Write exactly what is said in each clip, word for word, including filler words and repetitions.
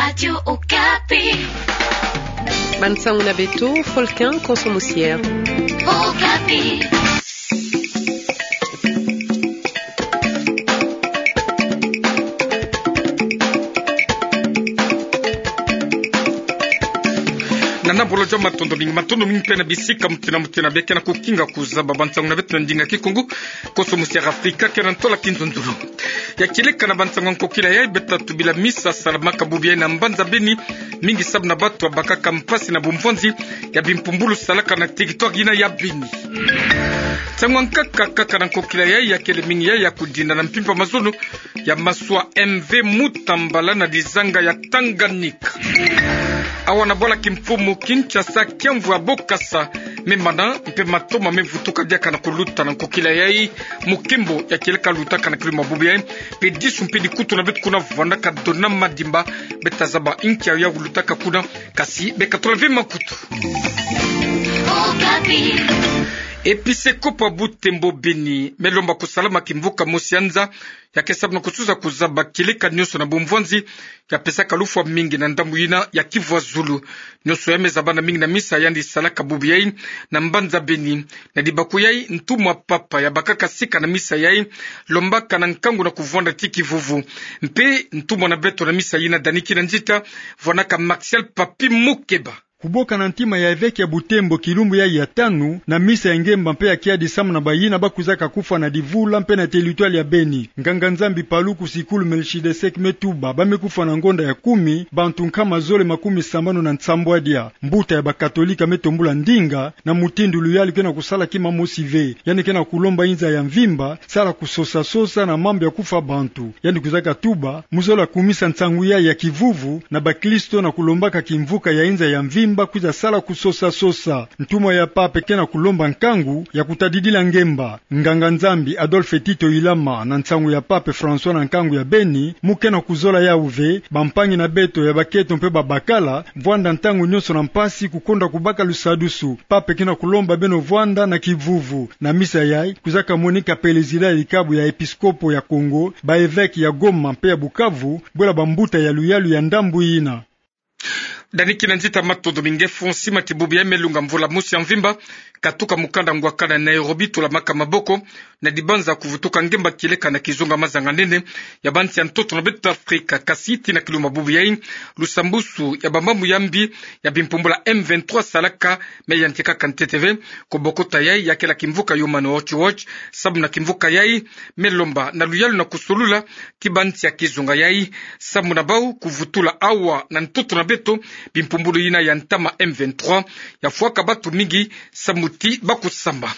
Radio Okapi. Bansango na beto, Folkin Konso Musier. Okapi. Na nabolo joma, matondo mingi, matondo mingi mpe na bisika mutindu na mutindu bie kena kukinga kuzaba bansango na beto na ndinga Kikongo. Konso Musier Afrika, kena ntola kinzonzolo. Ya kieleka na bansango ya nkokila yayi, beta tubila misa salamaka bubu yayi na mbanza Beni, mingi sababu na batu babakaka mpasi na bumvwanzi ya bimpumbulu salaka na territoire yina ya Beni. Nsangu ya nkaka, kaka na nkokila yayi, ya kele mingi yayi ya kudinda na mpimpa mazono ya maswa M V Mutambala na dizanga ya Tanganyika. Awa na bwala kimfumu Kinshasa, kiamvu ya bokasa me mana mpe matoma me vutuka diaka na kuluta na nkokila yayi, mokembo ya kieleka lutaka na kiluma bubu yayi, mpe disu mpe dikutu na beto kuna vwandaka dona madimba, beta zaba inki ya kulutaka kuna, kasi beka tola ve makutu. Episekopo ya Butembo Beni me lomba kusalama kimvuka mosi ya nza, ya ke sababu na kususa kuzaba kieleka nionso na bumvwanzi ya pesaka lufwa mingi na ndambu yina ya Kivu ya Zulu. Nionso ya me zabana mingi na misa yandi salaka bubu yayi na mbanza Beni. Na dibaku yayi, ntumwa Papa ya bakaka sika na misa yayi lombaka na nkangu na kuvwanda ti kivuvu. Mpe ntumwa na beto na misa yina, Dani Kinanzita, vwanaka Martial Papi Mukeba. Kubokana ntima ya eveke ya Butembo kilumbu yayi ya tanu, na misa ya ngemba mpe ya kiadi samu na bayina bakwizaka kufwa na divula mpe na territoire ya Beni. Nganga-Nzambi Paluku Sikulu Melchizedek me tuba ba me kufwa na ngonda ya kumi bantu nkama zole makumi sambanu na nsambwadia. Mbuta ya bakatolika me tombula ndinga na mutindu luyalu kena kusala kima mosi ve. Yandi kena kulomba inza ya mvimba sala kusosa-sosa na mambu ya kufwa bantu. Yandi kwizaka tuba mu zola kumisa nsangu yayi ya kivuvu na bakristo na kulombaka kimvuka ya inza ya mvimba kwiza sala kusosa-sosa. Ntumwa ya Pape kena kulomba nkangu ya kutadidila ngemba. Nganga-Nzambi Adolphe Tito Ilama na nsangu ya Pape François na nkangu ya Beni mu kena kuzola yawu ve, bampangi na beto ya bakento mpe babakala, vwanda ntangu nionso na mpasi kukonda kubaka lusadusu. Pape kena kulomba beno vwanda na kivuvu. Na misa yayi kwizaka monika pelezida ya likabu ya episkopo ya Kongo, ba eveke ya Goma mpe ya Bukavu, bwela bambuta ya luyalu ya ndambu yina. Dani Kinanzita, matondo mingi. Fonsi mati bubu yayi me lunga mvula mosi ya mvimba, katuka mukanda ngwakana Nairobi, tulamaka maboko na dibanza kuvutuka ngemba kieleka na kizunga mazanga nene ya bansi ya ntoto na beto Afrika. Kasi tii na kiluma bubu yayi, lusambusu ya bamambu ya mbi ya bimpumbulu M vingt-trois salaka me yantikaka ntete ve. Kubokota yayi, ya kele kimvuka Human Rights Watch, samu na kimvuka yayi me lomba na luyalu na kusolula ki bansi ya kizunga yayi, samu na bawu kuvutula awa na ntoto na beto bimpumbulu yina ya ntama M vingt-trois, ya fwaka batu mingi samu ti bakusamba.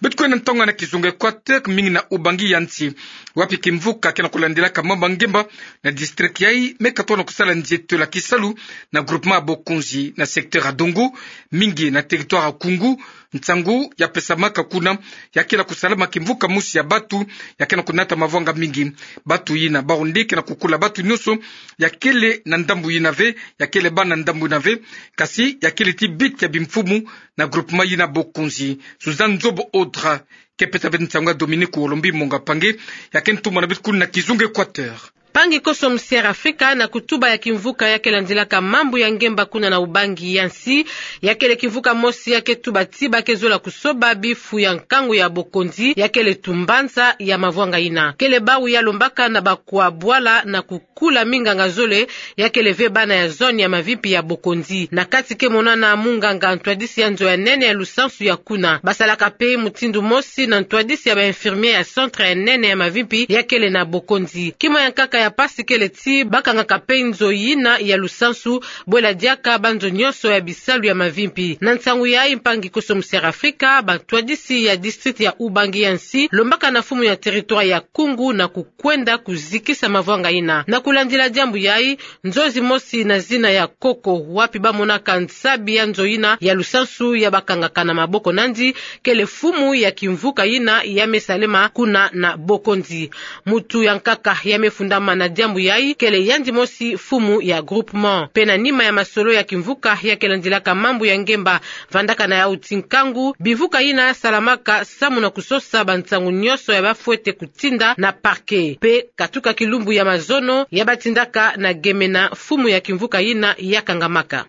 Beto kwenda na ntangu na kizunga Equateur, mingi na ubangi ya nsi, wapi kimvuka kena kulandilaka mambu ya ngemba na district yayi me katuka na kusala nzietolo ya kisalu na groupement ya Bokonzi na secteur ya Dongo, mingi na territoire ya Koungou. Nsangu ya pesamaka kuna, ya kele kusalama kimvuka mosi ya batu ya kena kunata mavwanga mingi. Batu yina bawu nde kena kukula batu nionso ya kele na ndambu yina ve, ya kele bana ndambu yina ve, kasi ya kele ti bit ya bimfumu na groupement yina Bokonzi. Suzanne Nzobo Audra ke pesa beto nsangu ya Dominique Olombi Monga Pange, ya ke ntumwa na beto kuna na kizunga Equateur. Mpangi Konso Musier Afrika, na kutuba ya kimvuka ya ke landilaka mambu ya ngemba kuna na ubangi ya nsi, ya kele kimvuka mosi ya ke tuba ti ba ke zola kusoba bifu ya nkangu ya Bokonzi, ya kele tumbanza ya mavwanga yina. Kele bawu ya lombaka na bakwa bwala na ku kula minganga zole, ya kele ve bana ya zone ya mavimpi ya Bokonzi. Na kati ke monana munganga ntwadisi ya nzo ya nene ya lusansu ya kuna. Basalaka mpe mutindu mosi na ntwadisi ya ba infirmier ya centre ya nene ya mavimpi ya kele na Bokonzi. Kima ya nkaka ya mpasi kele ti bakangaka mpe nzo yina ya lusansu, bwela diaka banzo nionso ya bisalu ya mavimpi. Na nsangu yayi, mpangi Konso Musier Afrika, bantwadisi ya district ya ubangi ya nsi lombaka na mfumu ya territoire ya Koungou na ku kwenda kuzikisa mavwanga yina. Na kulandila diambu yayi, nzo zimosi na zina ya Koko, wapi bamonaka nsabi ya nzo yina ya lusansu ya bakangaka na maboko nandi, kele mfumu ya kimvuka yina ya me salema kuna na Bokonzi. Mutu ya nkaka ya me fundama Mana diambu yai kele yandi mosi mfumu ya groupement. Mpe na nima ya masolo ya kimvuka ya ke landilaka mambu ya ngemba vandaka na yau ti nkangu, bimvuka yina salamaka samu na kusosa bansangu nyonso ya bafwete kutinda na parquet. Mpe katuka kilumbu ya mazono ya batindaka na gemena mfumu ya kimvuka yina ya kangamaka.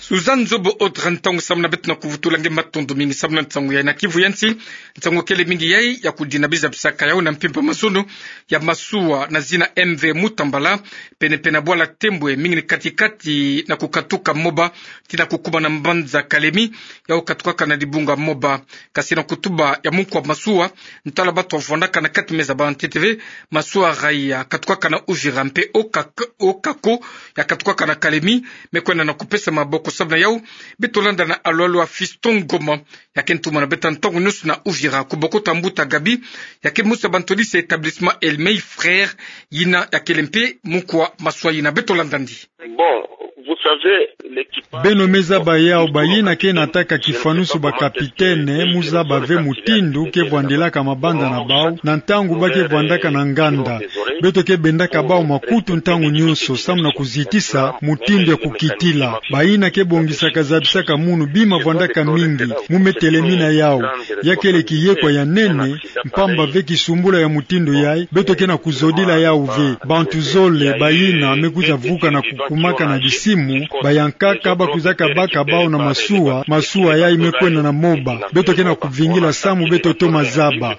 Suzanne Zobo Audrey, ntangu samu na beto na kuvutula nge, matondo mingi samu na nsangu yai na Kivu ya nsi. Nsangu kele mingi yai ya kudina biza bisaka yau na mpimpa mazono ya masuwa na zina M V Mutambala, pene pene na bwala Tembwe, mingi ni kati-kati na kukatuka Moba tii na kukuma na mbanza Kalemi, yau katukaka na dibunga Moba. Kasi na kutuba ya munkwa masuwa, ntwala bato wavwandaka na kati meza ba ntete ve, masuwa Raï ya katukaka na Uvira mpe Okak-, Okako ya katukaka na Kalemi, me kwenda na kupesa maboko. Samu na yau, beto landa na alwalwa Fiston Ngoma, ya ke ntumwa na beto ntangu nyonso na Uvira, kubokota mbuta Gabi, ya ke musa bantwadisi ya établissement Elmey Frères, yina ya kele mpe munkwa masuwa yina. Beto landa ndi. Bon, vous savez, l'équipage... Beno me zaba yau, bayina ke nataka kifanusu ba capitaine, mu zaba ve mutindu ke vwandilaka mabanza na bau, na ntangu ba ke vwandaka na nganda. Beto ke bendaka bau makutu ntangu nyonso, samu na kuzitisa mutindu ya kukitila. Bayina ke bongisaka zabisaka munu bima vwandaka mingi, mu me telemina yau. Ya kele kiyekwa ya nene, mpamba ve kisumbula ya mutindu yai, beto ke na kuzodila yau ve. Bantu zole, bayina me kwiza vuka na kukumaka na bisimu, bayankaka ba kwizaka baka bau na masuwa, masuwa yai me kwenda na Moba. Beto ke na kuvingila samu beto toma zaba.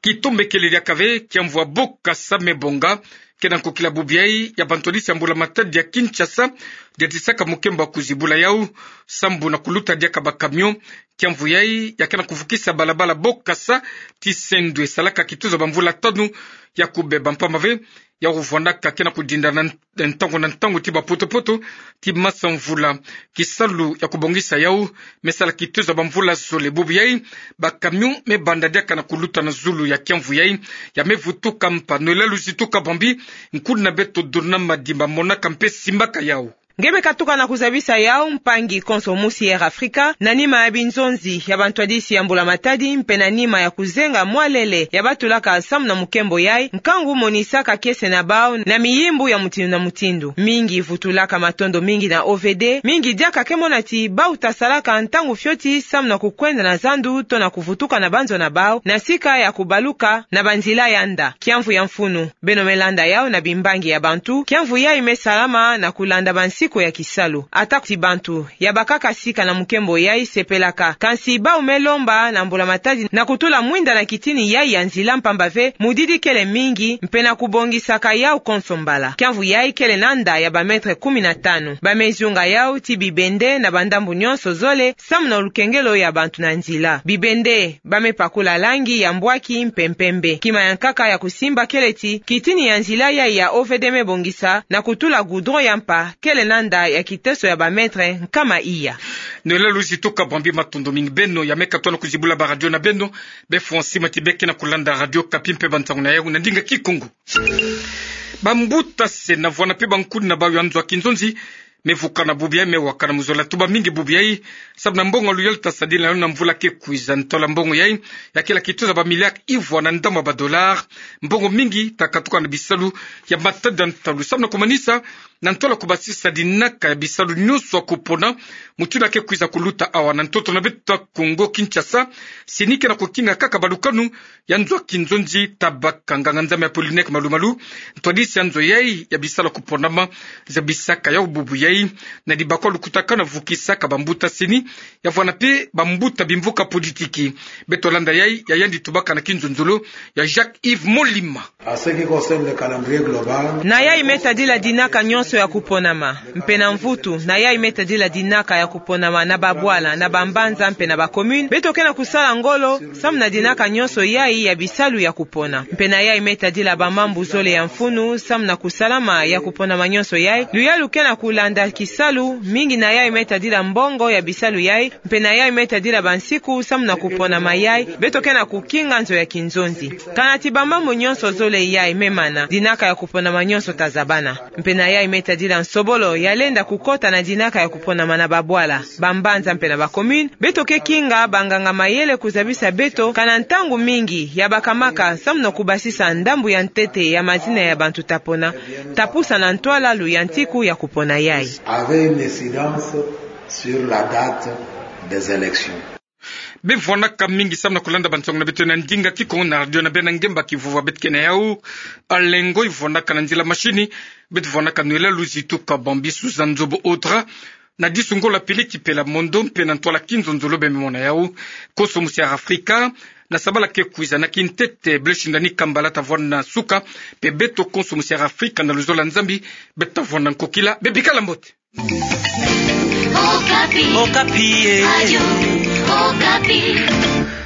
Kitombekele diaka ve, kiamvu ya bokasa me bonga ke na nkokila bubu yai ya bantwadisi ya mbula matadi ya Kinshasa, diatisaka mukembo ya kuzibula yau, sambu na kuluta diaka ba camion. Kiamvu yai ya ke na kuvukisa balabala bokasa tii sendwe, salaka kituza ba mvula tanu ya kubeba, mpamba ve yau vwandaka ke na kudinda na ntangu na ntangu tii ba poto-poto tii masa mvula. Kisalu ya kubongisa yau me sala kituza ba mvula zole. Bubu yai, ba camion me banda diaka na kuluta na zulu ya kiamvu yai, ya me vutuka mpa. Noëlla Luzitu Kabambi, nkuna beto Dona Madimba, monaka mpe simbaka yau. Nge me katuka na kuzabisa yau, mpangi konso musi Air Africa, na nima ya binzonzi ya bantwadisi ya mbula matadi, mpe na nima ya kuzenga mwalele ya batulaka samu na mukembo yai, nkangu monisaka kiese na bau na miyimbu ya mutindu na mutindu. Mingi vutulaka matondo mingi na O V D, mingi diaka ke mona ti bau tasalaka ntangu fioti samu na kukwenda na zandu to na kuvutuka na banzo na bau, na sika ya kubaluka na banzila ya nda. Kiamvu ya mfunu, beno me landa yau na bimbangi ya bantu, kiamvu yai me salama na kulanda bansiku ya kisalu. Ata ti bantu ya bakaka sika na mukembo yai sepelaka, kansi bau me lomba na mbula matadi na kutula mwinda na kitini yai ya nzila, mpamba ve mudidi kele mingi, mpe na kubongisaka yau konso mbala. Kiamvu yai kele na nda ya ba mètre kumi na tanu. Ba me zunga yau ti bibende na bandambu nyonso zole, samu na lukengelo ya bantu na nzila. Bibende ba me pakula langi ya mbwaki mpe mpembe. Kima ya nkaka ya kusimba kele ti kitini ya nzila yai ya O V D me bongisa na kutula goudron ya mpa kele na nda ya kiteso ya ba mètre nkama iya. Noëlla Luzitu Kabambi, matondo mingi. Beno ya me katuka na kuzibula ba radio na beno, befo nsima ti be ke na kulanda Radio Okapi mpe bansangu na yau na ndinga Kikongo. Bambuta se na vwana mpe bankuni na bau ya nzo ya kinzonzi me vukana bubu yai, me wakana mu zola tuba mingi bubu yai, sabu na mbongo ya luyalu ta sadila na mvula ke kwiza. Ntola mbongo yai ya kele kituza ba milliards ivwa na ndambu ya ba dollars. Mbongo mingi ta katuka na bisalu ya matadi ya ntalu, sabu na kumanisa na ntola kubasisa dinaka ya bisalu nyonso ya kupona, mutindu ke kwiza kuluta awa na ntoto na beto Kongo Kinshasa. CENI ke na kukinga kaka balukanu ya nzo ya kinzonzi. Tabaka nganga-Nzambi Apollinaire Malu-Malu, ntwadisi ya nzo yai ya bisalu ya kuponama, zabisaka yau bubu yai na dibakwa lukutakanu ya vukisaka bambuta CENI, ya vwana mpe bambuta bimvuka politiki. Beto landa yai ya yandi tubaka na kinzonzolo ya Jacques Yves Molima. En ce qui concerne le calendrier global, na yai me tadila dinaka nyonso ya kuponama, mpe na mvutu, na yai me tadila dinaka ya kuponama na babwala, na bambanza, mpe na ba commune, beto ke na kusala ngolo samu na dinaka nyonso yai ya bisalu ya kupona. Mpe na yai me tadila bamambu zole ya mfunu samu na kusalama ya kuponama nyonso yai, luyalu ke na kulanda kisalu mingi na yai me tadila mbongo ya bisalu yai, mpe na yai me tadila bansiku samu na kuponama yai, beto ke na kukinga nzo ya kinzonzi. Kana ti bamambu nyonso zole yai me mana, dinaka ya kuponama nyonso ta zabana. Mpe na yai me Tadila nsobolo ya lenda kukota na dinaka ya kuponama na babwala, bambanza mpe na bacommune. Beto ke kinga banganga mayele kuzabisa beto kana ntangu mingi ya bakamaka samu na kubasisa ndambu ya ntete ya mazina ya bantu tapona, tapusa na ntwala luyantiku ya kupona yayi. Avait une incidence sur la date des élections. Bevwanaka mingi samu na kulanda bansangu na beto na ndinga Kikongo na radio na bena ngemba ki vova beto ke na yau. Alengo ivwanaka na nzila mashini. Beto vwanaka nwela Luzi Tuka Bambi Susan Nzobo Audra. Na disu Ngola Pili Kipela Mondo mpe na ntwala Kinzonzolo bememona yau. Konso musi ya Afrika, na sabala ke kwiza na kintete Blaise Shindani Kambala tavwanda na suka. Mpe beto konso musi ya Afrika na luzolo ya Nzambi, beto tavwanda nkokila. Bebikala mbote. Okapi. Okapi, eh. Radio Okapi.